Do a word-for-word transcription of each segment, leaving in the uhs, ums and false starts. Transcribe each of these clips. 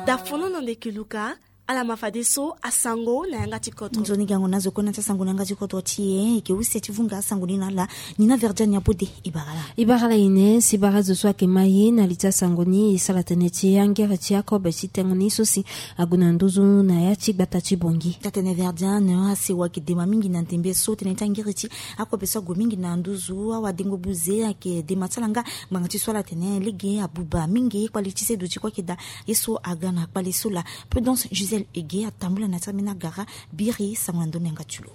Dafono na ndeke luka. Ala ma fadeso asango na yanga ti kodro. Nzoni gango na zo kue na ti asango na yanga ti kodro ti e. E ke use ti vunga asango ni na ala. Ni na Verdiane Abode. E bara la. E bara la ine si bara zo so ayeke ma ye na li ti asango ni, e sara tënë ti angere ti akobe ti tengo ni so si ague na nduzu na ya ti gbata ti Bongi. Taa-tënë Verdiane, asewa ayeke dema mingi na ndembe so tënë ti angere ti akobe so ague mingi na nduzu. Awadengo buze ayeke dema ti ala nga ngbanga ti so ala tene lege abuba mingi kpale ti seduti kue ayeke daa. Ye so aga na kpale so laa. Prudence Gisèle Ege atambula na ti ambeni agara. Biri sango na ndö na yanga ti lo.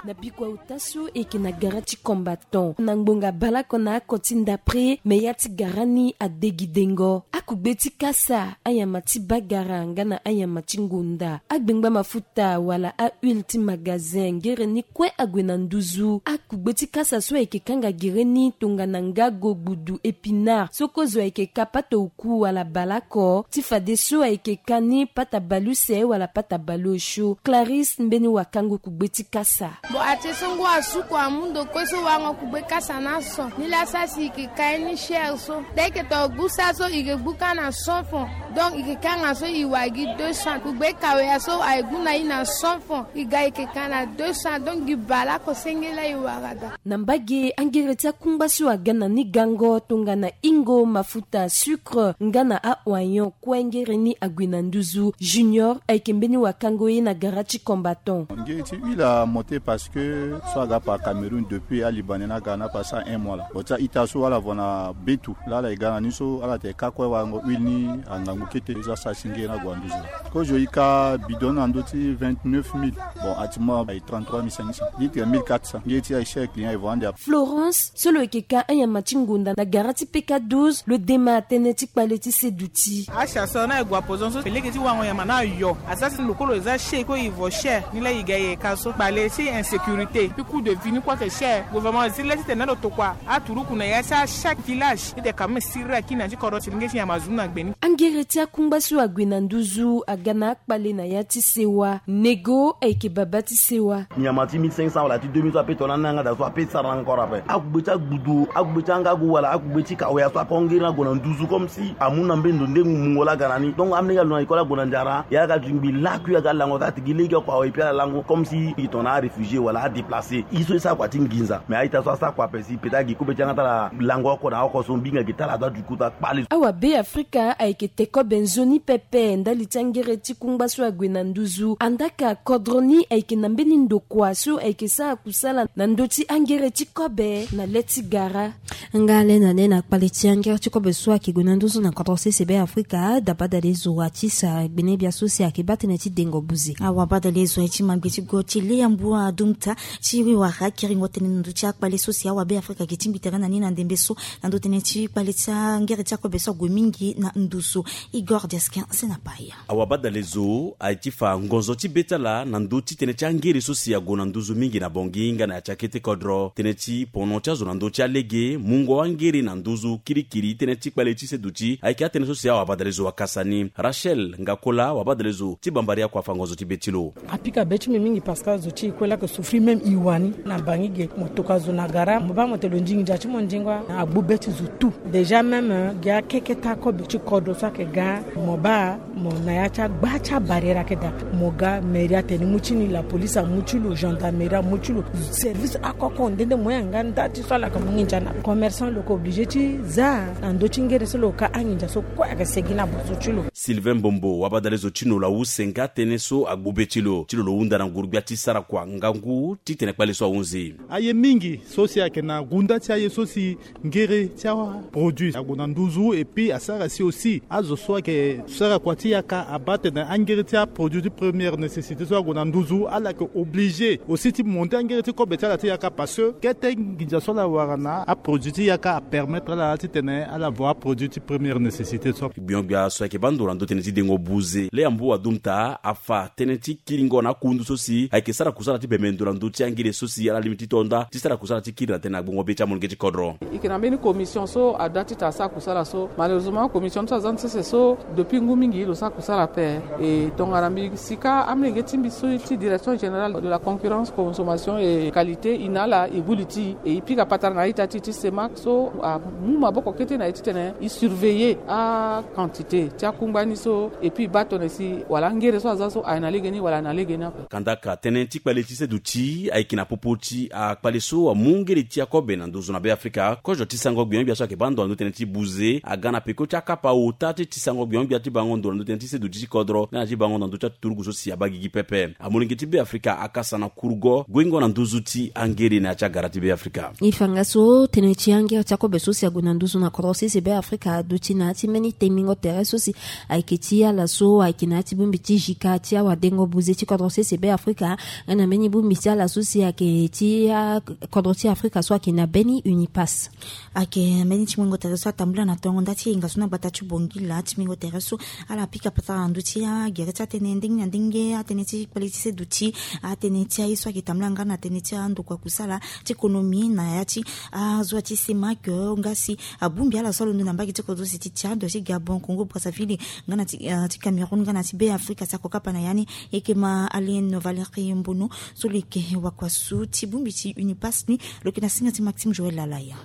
Na bikua ota so e yeke na gara ti combattant na ngbonga baleoko na oko ti ndapre, me ya ti gara ni ade gi dengo. Akugbe ti kasa, anyama ti bagara nga na anyama ti ngonda, agbengba mafuta wala ahuile ti magasin, ngere ni kue ague na nduzu. Akugbe ti kasa so ayeke kanga gere ni tongana ngago, gbudu, épinard, so kozo ayeke ka pata oku wala baleoko, ti fadeso ayeke ka ni pata baleuse wala pata baleosio. Clarisse mbeni wakango kugbe ti kasa. Bon, atie so ngu asuku amu ndo kue so warango kugbe kasa na so. Ni laa sara si e yeke ka ye ni cher so. Daa e yeke to gbu sara so e yeke gbu kâ na cent francs. Donc e yeke kâ nga so e wara gi deux cents. Kugbe kawea so aye gbu na e na cent francs. E ga e yeke ka na deux cents. Donc gi baleoko senge laa e wara daa. Na mbage angere ti akungba so aga na ni gango tongana ingo, mafuta, sucre nga na a-oignon kue ngere ni ague na nduzu. Junior ayeke mbeni wakango ye na gara ti combattant. Ngere ti huile amonte parce que so aga par Cameroun depuis alibané ni aga na pasa un mois laa. Bon, ti a-ita so ala vo na betu laa ala ye ga na ni so ala tene kâ kue warango huile ni angangu kete. Ye so asara si ngere ni ague na nduzu laa. Kozo e ka bidon na ndö ti vingt-neuf mille. Bon, actuellement aye trente-trois mille cinq cents. Litre mille quatre cents. Ngere ti aye cher, client e vo ande. Florence so lo yeke ka anyama ti ngonda na gara ti P K douze, lo dema tënë ti kpale ti seduti. Acha so na e gue apozon so e lege ti wango nyama na ayo. Asara si lo kue lo za cher, e kue e vo cher. Ni laa e ga e ka so kpale ti insécurité, puis coût de vie ni kue ayeke cher. Gouvernement zi le titene na lo tokua aturuku na ya ti achaque village titene quand même siriri akiri na ya ti kodro ti lenge ti nyama azu na gbe ni. Angere ti akungba so ague na nduzu aga na akpale na ya ti sewa. Nego ayeke baba ti sewa. Nyama ti mille cinq cents wala ti deux mille so ape tongana ni na yanga daa so ape sara na encore ape. Akugbe ti agbudu, akugbe ti angagu wala akugbe ti kawea so akongiri ni ague na nduzu comme si amu na mbeni ndo nde mungo laa aga na ni. Donc amolenge alo na école ague na nzara, e aga zingbi lakui aga lango so atigi lege oko awe, e pi ala lango comme si e tongana aréfugié wala adéplacé. E so e sara kua ti nginza. Mais a-ita so asara kua ape si peut-être agi kobe ti yanga ti ala lango oko na oko so mbinga gi ti ala aza du coup ti akpale. Awabe Afrika ayeke te kobe nzoni pepe ndali ti angere ti kungba so ague na nduzu. Andaka kodro ni ayeke na mbeni ndokua so ayeke sara kusala na ndö ti angere ti kobe na le ti gara. Nga le na le na kpale ti angere ti kobe so ayeke gue na nduzu na kodro sese Be Afrika, da badale zo wa ti sa gbene bia so si ayeke baa tënë ti dengo buze. Awa badale zo aye ti ma gbe ti go ti le yambu adumta ti wara kiringo tënë na ndö ti akpale so si awabe Afrika ayeke tingbi tere na ni na ndembe so. Na ndö tënë ti kpale ti angere ti akobe so ague mingi na nduzu. Igor Diaskin Senapaya. Awa badale zo aye ti fa ngonzo ti be ti ala na ndö ti tënë ti angere so si ague na nduzu mingi na Bongi nga na ya ti akete kodro. Tënë ti pono ti azo na ndö ti alege, mungo angere na nduzu kirikiri, tënë ti kpale ti seduti ayeke atënë so si awa badale zo akasa ni. Rachel Ngakola, awa badale zo ti Bambari, akua fa ngonzo ti be ti lo. Apika be ti mbi mingi parce que azo ti e kue laa ayeke souffrir même e wani. Na bangi ge mo tokua zo na gara, mo baa mo tene lo ndingi ndia ti mo ndingo, agbu be ti zo tout. Déjà même, euh, gi akeke ti akobe ti kodro so ayeke ga, mo baa mo na ya ti agba ti abarrière ayeke daa. Mo ga mairie atene ni mu ti ni, la police amu ti lo, gendarmerie amu ti lo, service akoko nde nde mo yanga nda ti so ala yeke mu nginza na commerçant lo yeke obligé ti za na ndö ti ngere so lo ka anginza so kue ayeke segi na bozo ti lo. Sylvain Mbombo, wabadale zo ti Nola use nga tënë so agbu be ti lo, ti lo lo hunda na nguru-gbia ti sara kua ngangu titene kpale so ahunzi. Aye mingi so si ayeke na gunda ti aye so si ngere ti aproduit ague na nduzu, et puis asara si aussi azo so ayeke sara kua ti yaka abaa tene angere ti aproduit ti première nécessité so ague na nduzu, ala yeke obligé aussi ti monter angere ti kobe ti ala ti yaka, parce que kete nginza so ala wara na aproduit ti yaka apermettre ala titene ala vo aproduit ti première nécessité so. Gbio-gbia so ayeke baa ndo na ndö tënë ti dengo buze. Lea mbu adumu taa afa tënë ti kiringo na akundu so si ayeke sara kusala ti bembe ndo na ndö ti angele so si ala lingbi ti tonda ti sara kusala ti kiri na tënë na gbongo be ti amolenge ti kodro. E yeke na mbeni commission so ada ti ta sara kusala so. Malheureusement commission ti aza ni sese so depuis ngu mingi lo sara kusala ape. E tongana mbi sika amolenge ti mbi so ti direction générale de la concurrence, consommation et qualité, e na ala e gbu li ti e, e pika patara na a-ita ti e ti CEMAC so amu maboko kete na e titene e surveiller a quantité ti akungba ni so, et puis e baa tongana si wala angere so aza so aye na lege ni wala aye na lege ni ape. Kandaka tënë ti kpale ti seduti ayeke na popo ti akpale so amu ngere ti akobe na nduzu na Beafrika. Kozo ti sango gbio-gbia so ayeke baa ndo na ndö tënë ti buze aga na peko ti akapa ota ti ti sango gbio-gbia ti bango ndo na ndö tënë ti seduti ti kodro nga na ti bango na ndö ti aturugu so si abaa gigi pepe. Amolenge ti Beafrika akasa na kurugo guengo na nduzu ti angere na ya ti agara ti Beafrika. E fa nga so tënë ti angere ti akobe so si ague na nduzu na kodro sese Beafrika aduti na ya ti mbeni tengbingo tere so si ayeke ti ala so ayeke na ya ti bongbi ti jika ti awadengo buze ti kodro sese Beafrika nga na mbeni bongbi ti ala so si ayeke ti akodro ti Afrika so ayeke na be ni UNIPAS. Ayeke mbeni ti mungo tere so atambula na tongo nda ti hinga so na gbata ti Bongila ti mungo tere so ala pika patara na ndö ti agere ti atënë ndenge na ndenge, atënë ti kpale ti seduti, atënë ti aye so ayeke tambula nga na tënë ti andokua kusala ti économie na ya ti azo ti CEMAC nga si abongbi ala so alondo na mbage ti kodro si ti Tchad, ti Gabon, Congo Brazzaville nga na ti, ah, ti Cameroun nga na ti Beafrika si ako kapa na ya ni. E yeke ma Alien Valérie Mbono so lo yeke wakua so ti bongbi ti UNIPAS ni, lo yeke na singa ti Maxime Joël Lalaya.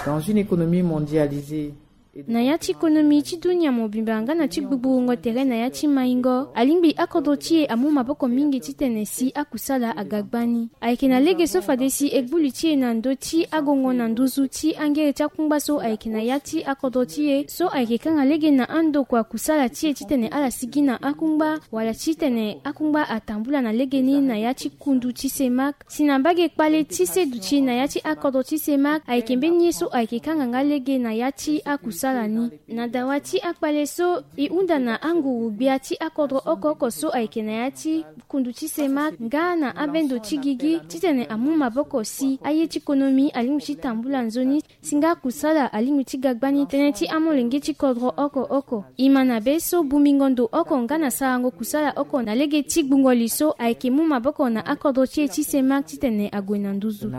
Dans une économie mondialisée, na ya ti konomi ti dunia mobimba nga na ti gbugburu ngo tere na ya ti maingo, alingbi akodro ti e amu maboko mingi titene si akusala aga gbani. Ayeke na lege so fade si e gbu li ti e na ndö ti agongo na nduzu ti angere ti akungba so ayeke na ya ti akodro ti e so ayeke kanga lege na andokua kusala ti e titene ala sigi na akungba wala titene akungba atambula na legeni na ya ti kundu ti CEMAC. Si na mbage kpale ti seduti na ya ti akodro ti CEMAC ayeke mbeni ye so ayeke kanga nga lege na ya ti akusala ni. Na dawa ti akpale so, e hunda na anguru-gbia ti akodro oko oko so ayeke na ya ti kundu ti CEMAC nga na abendo ti gigi titene amu maboko si aye ti konomi alingbi ti tambula nzoni. Si nga kusala alingbi ti ga gbani tënë ti amolenge ti kodro oko oko. E ma na be so bongbingo ndo oko nga na sarango kusala oko na lege ti gbungo li so ayeke mu maboko na akodro ti e ti CEMAC titene ague na nduzu.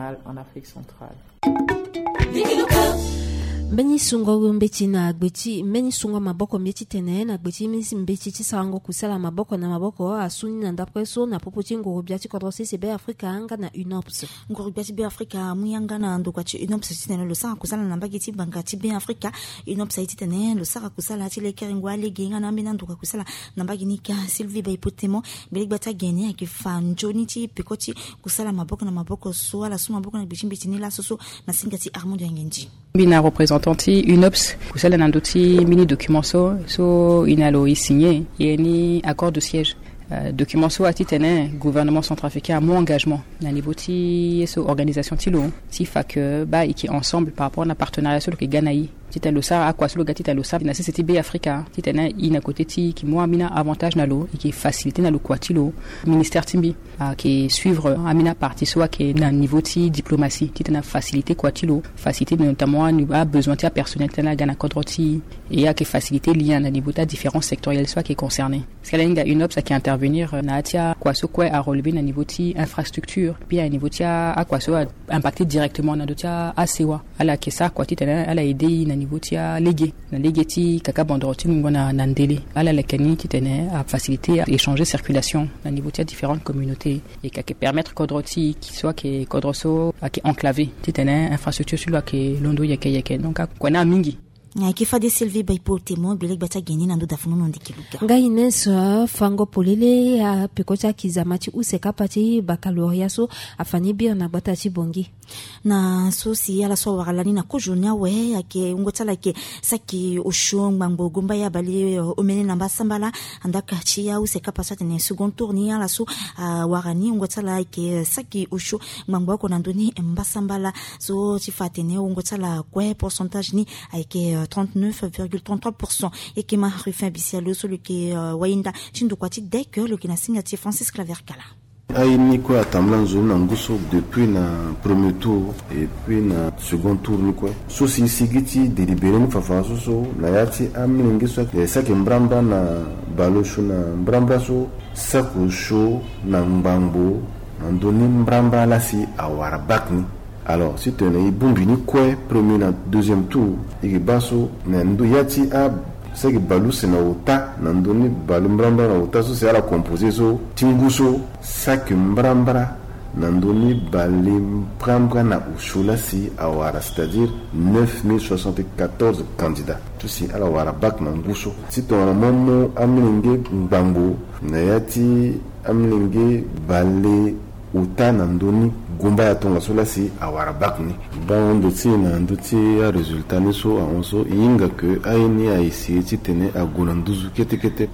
Mbeni sungo mbeti na gbe ti mbeni sungo maboko mbi titene na gbe ti mbeti ti sarango kusala maboko na maboko asu ni na ndapre so na popo ti nguru-gbia ti kodro sese Beafrika nga na UNOPS. Nguru-gbia ti Beafrika amu yanga na ndokua ti UNOPS titene lo sara kusala na mbage ti banga ti Beafrika. UNOPS aye titene lo sara kusala ti lekerengo alege nga na ambeni andokua kusala na mbage ni ka. Sylvie Baipotemo, gbele-gbia ti agene ayeke fa nzoni ti peko ti kusala maboko na maboko so ala su maboko na gbe ti mbeti ni laso so na singa ti Armand Yangendi. Mbi na représentant ti UNOPS kusala na ndö ti mbeni document so, so e na lo e signé, e ni accord de siège. Euh, document so atitene gouvernement centrafricain amu engagement na niveau ti ye so organisation ti lo ti fa ke baa e yeke ensemble par rapport na partenariat so lo yeke ga na e titene lo sara akua so lo ga titene lo sara na sese ti Beafrika titene e na kote ti e yeke mu ambeni avantage na lo, e yeke facilité na lo kua ti lo. Ministère ti mbi ayeke suivre ambeni apartie so ayeke na niveau ti diplomatie titene afacilité kua ti lo, facilité notamment abesoin ti apersonnel titene aga na kodro ti e, e ayeke facilité lien na niveau ti adifférence sectorielle so ayeke concerné. Parce que ala hinga UNOPS ayeke intervenir na ya ti akua so kue arelevé na niveau ti infrastructure puis na niveau ti akua so impacté directement na ndö ti asewa. Ala yeke sara kua titene ala aidé e na niveau ti alege, na lege ti kaka bandoro ti mungo na, na ndele. Ala leke ni titene afacilité échange circulation na niveau ti adifférentes communautés. E yeke permettre kodro ti e so ayeke kodro so ayeke enclavé titene infrastructure ti lo ayeke londo yeke yeke. Donc akua ni amingi. Ayeke fade Sylvie Baipotemo, gbele-gbia ti agene na ndö dafunu no ndiki luga. Nga Ines, euh, fango polele apeko ti akizama ti use kapa ti baccalauréat so afa ni biri na gbata ti Bangui. Na so si ala so awara lani na kozo ni awe ayeke wungo ti ala ayeke saki osio ngbangbo gomba ya bale, euh, omene na mbasambala. Andaka ti ause kapa so atene second tour ni ala so awara ni wungo ti ala ayeke saki osio ngbangbo oko na ndö ni mbasambala. So ti fa atene wungo ti ala kue pourcentage ni ayeke, euh, trente-neuf virgule trente-trois pour cent. E yeke ma Rufin Bisialo so lo yeke, euh, wayinda ti ndokua ti DEC, lo yeke na singa ti Francis Claver Kala. Aye ni kue atambula nzoni na ngu so depuis na premier tour et puis na second tour ni kue. So si e sigi ti délibéré ni fafa so so na ya ti amilenge so ayeke saki mbrambra na bale osio na mbrambra so saki osio na ngbangbo na ndö ni mbrambra laa si awara bak ni. Alors si tene e bongbi ni kue premier na deuxième tour, e yeke baa so na ndö ya ti a saki bale use na ota na ndö ni bale mbrambra na ota so si ala composé so ti ngu so saki mbrambra na ndö ni bale mbrambra na osio laa si awara, c'est-à-dire neuf mille soixante-quatorze candidats so si ala wara bak na ngu so. Si tongana mo mu amilenge ngbangbo na ya ti amilenge bale ota na ndö ni gumbaya tongaso laa si awara bak ni. Bango ndo ti e na ndö ti arésultat ni so ahon so e hinga ke aye ni a essayé titene ague na nduzu kete kete.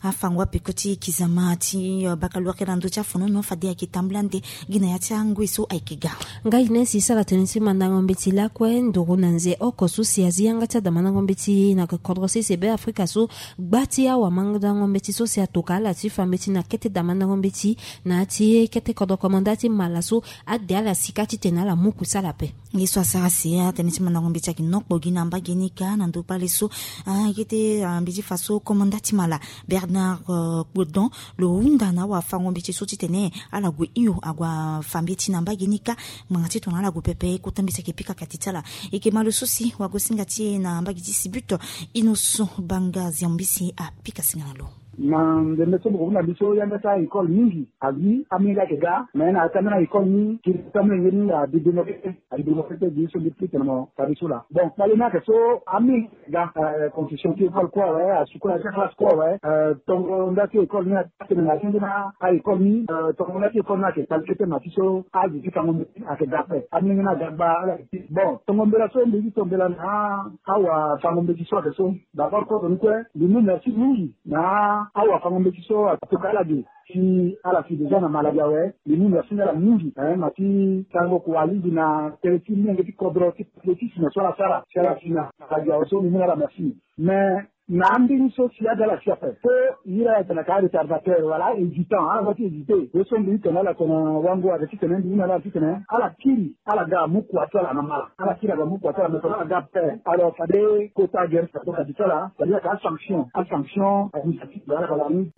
Afango apeko ti kizama ti, euh, baccalauréat na ndö ti afonono fade ayeke tambula nde gi na ya ti angoi so ayeke ga. Ngai Inès e sara tënë ti mandango mbeti lakue nduru na nze oko so si azi yanga ti adamandango mbeti na kodro sese Beafrika so gba ti awamandango mbeti so si atoka ala ti fa mbeti na kete damandango mbeti na ya ti kete kodro komanda ti mala so ade ala sika titene ala mu kusa ala ape. Ye so asara si atënë ti mandango mbeti ayeke nokpo gi na mbage ni kâ na ndö kpale so, ah, kete, ah, mbeti fa so komanda ti mala Bernard, euh, Godon lo hunda na awafango mbeti so titene ala gue hio ague afa mbeti na mbage ni kâ. Ngbanga ti tongana ala gue pepe kota mbeti ayeke pika kati ti ala. E yeke ma lo so si wagosinga ti e na mbage ti Sibut, Innocent Banga Ziambisi apika singa na lo. Na ndembe so mbi ko hunda mbi so yanga ti a-école mingi azi amolenge ayeke ga, me na ya ti ambeni a-école ni kiri ti amolenge ni abi développé, abi développé gi so mbi tene mo fade so laa. Bon kpale ni ayeke so amolenge ga, euh, construction ti école kue awe, asukula ti classe kue awe, euh, tongo nda ti école ni atene na asenge na a-école ni, euh, tongo nda ti école ni ayeke kpale kete ma ti so azi ti fango mbeti ayeke ga ape. Amolenge ni aga gba ala yeke ti. Bon tongo mbela so mbi ti to mbela na awafango mbeti so ayeke so. D'abord kodro ni kue mbi mu merci mingi na awafango mbeti so atoka ala ge. Si ala si déjà na maladi awe, mbi mu merci na ala mingi, eh, ma ti tango kua lingbi na tënë ti molenge ti kodro ti patriotisme so ala sara si ala si na maladi awe so mbi mu na ala merci. Mais na ambeni so si aga ala si ape so iri ala tene ka retardateur wala ahésitant, ala za ti hésité. Ye so mbi ti tene ala tene wango ayeke ti tene mbi mu na ala titene ala kiri ala ga amu kua ti ala na mala. Ala kiri aga amu kua ti ala me tongana ala ga ape, alors fade kota gere si atoka ti ala, c'est-à-dire ka asanction, asanction administrative. Ala ka la ni.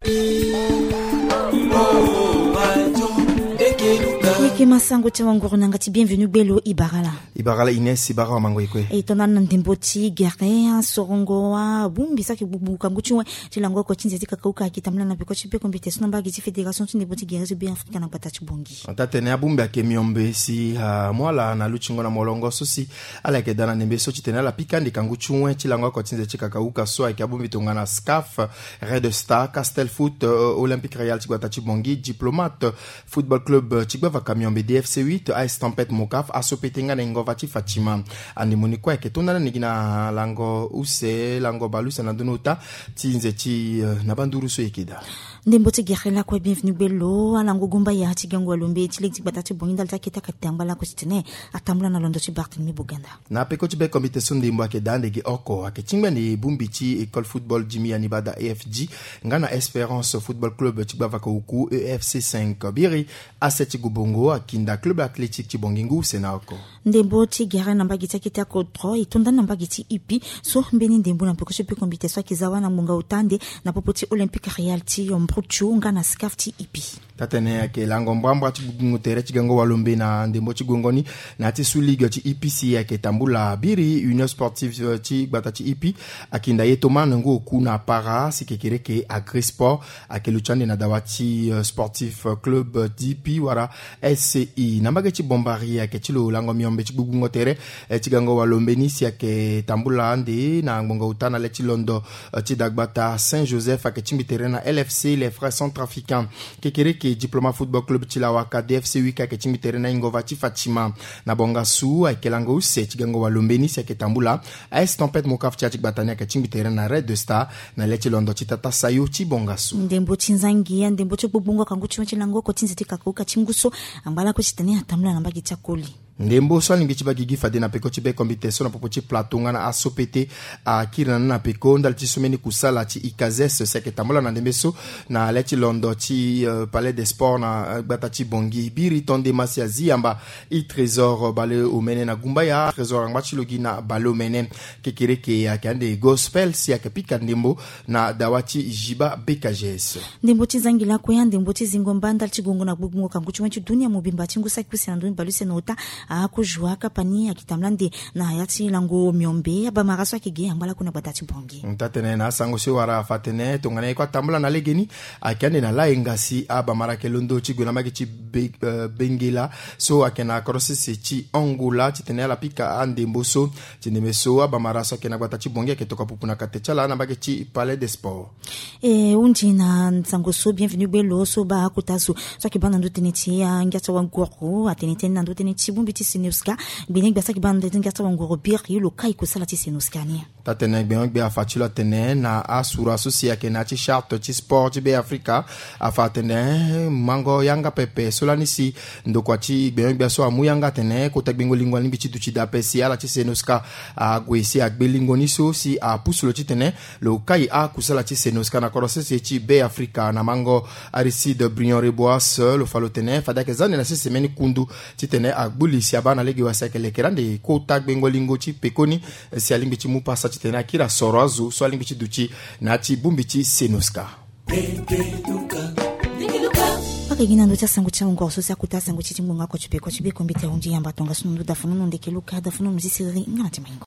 Eke masango ti awanguru na yanga ti Bienvenu Gbelo, e bara ala. E bara ala Inès, e bara awamango e kue. E tonda na ndembo ti gere asorongo abongbi so ayeke gbugbungu kangu ti wen ti lango oko ti nze ti kakauka ayeke tambula na peko ti beko mbete so na mbage ti fédération ti ndembo ti gere so Beafrika na gbata ti Bongi. Ata tene abongbi ayeke miombe si amu ala na lutingo na molongo so si ala yeke daa na ndembe so titene ala pika ande kangu ti wen ti lango oko ti nze ti kakauka so ayeke abongbi tongana SCAF, Red Star, Castel Foot, euh, Olympique Royal ti gbata ti Bongi, Diplomate Football Club, euh, ti gbavaka miombe D F C huit, A S Tempête Mocaf, Aso Pete nga na Ingova ti Fatima. Ande mo ni kue ayeke tonda na ni gi na lango use, lango bale use na ndö ni ota ti nze ti, euh, na banduru so e yeke daa. Ndembo ti gere lakue Bienvenu Gbelo, alango gumbaya ti gango alombe ti lege ti gbata ti Bongi ndali ti akete akate angba lakue titene atambula na londo ti Barthélemy Boganda. Na peko ti beko mbete so ndembo ayeke daa ande gi oko ayeke tingbi ande bongbi ti école football Jimmy Anibada A F G nga na Espérance Football Club ti gbavaka oku E F C cinq. Biri ase ti Gobongo akinda club athlétique ti Bongi ngu use na oko. Ndembo ti gere na mbage ti akete akodro e to nda ni na mbage ti Ipi so mbeni ndembo na peko ti beko mbete so ayeke za wâ na ngbonga ota ande na popo ti Olympique Royal ti Mbrutio nga na SCAF ti Ipi. Tatene ayeke lango mbrambra ti gbugbungu tere ti gango walombe na ndembo ti gongo ni na ya ti sous ligue ti Ipi si ayeke tambula biri Union Sportive, euh, ti gbata ti Ipi akinda ye Thomas na ngu oku na para si kekereke Agrisport ayeke luti ande na dawa ti, euh, Sportif Club d'Ipi wala S C I. Na mbage ti Bombari ayeke ti lo lango miombe ti gbugbungo tere, eh, ti gango walombe ni si ayeke tambula ande na ngbongo ota na le ti londo, eh, ti dagbata Saint Joseph ayeke tingbi tere na L F C, les Frères Centrafricains. Kekereke Diploma Football Club ti Lawaka, D F C huit ayeke tingbi tere na Ingova ti Fatima. Na Bongasu ayeke lango use ti gango walombe ni si ayeke tambula. A S Tempête Mocaf ti ya ti gbata ni ayeke tingbi tere na Red Star na le ti londo ti Tata Sayo ti Bongasu. Ndembo ti nzangi, ndembo ti gbugbungo akangu ti wen ti lango oko ti nze ti kakauka ti ngu so angba lakue titene atambula na mbage ti akoli. Ndembo so alingbi ti baa gigi fade na peko ti bekombite so na popo ti plateau nga na aso pete akiri na ni na peko ndali ti someni kusala ti ikazes si ayeke tambula na ndembe so na le ti londo ti palais de sport na gbata ti bongi biri tonde masi azi yamba. I trésor baleomene na gumbaya trésor angba ti logi na baleomene kekereke ayeke ande gospel si ayeke pika ndembo na dawa ti jiba bekages. Ndembo ti zangi lakue ya ndembo ti zingo mba ndali ti gongo na gbugbungo kangu ti wen ti dunia mobimba ti ngu saki use na ndoni baleuse na ota. Akojoua kapani akita mlande na ya ti lango miombe abamara so ayeke ge angba lakue na gbata ti bongi. Ntatene na asango so e wara afa atene tongana e kue atambula na legeni ayeke ande na laenga si abamara ayeke londo ti gue na mbage ti bengela so ayeke na korosese ti angola titene ala pika andembo so ti ndembe so abamara so ayeke na gbata ti bongi ayeke toka pupu na kate ti ala na mbage ti palais de sport. E hundi na nsango so bienvenu gbelo so baa akota zo so ayeke baa na ndö tënë ti angia ti awanguru atene tënë na ndö tënë ti bongbi ti senoska. Gbene gbia so ayeke baa na ndö tënë angia ti awanguru biri lo kai kosala ti senoska ni. Tatene gbengo-gbia afa ti lo atene na asura so si ayeke na ya ti charte ti sport ti be afrika afa atene mango yanga pepe so lani si ndokua ti gbengo-gbia so amu yanga atene kota gbengo lingo alingbi ti duti dape si ala ti senoska ague si agbe lingo ni so si apusu lo titene lo kai akusala ti senoska na korosese ti be afrika na mango. Aristide brion reboas lo fa lo tene fade ayeke za ande na sese meni kundu titene agbu li si abaa na lege wa si ayeke lekere ande kota gbengo lingo ti pekoni si alingbi ti mu pasa titene akiri asoro azo so alingbi ti duti na ya ti bongbi ti senoska. Ake gi na ndö ti asango ti angoro so si akota asango ti ti ngbonga oko ti peko ti bekombite ahundi yamba tongaso na ndö dafonono ndeke luka dafonono ti siriri nga na ti maingo.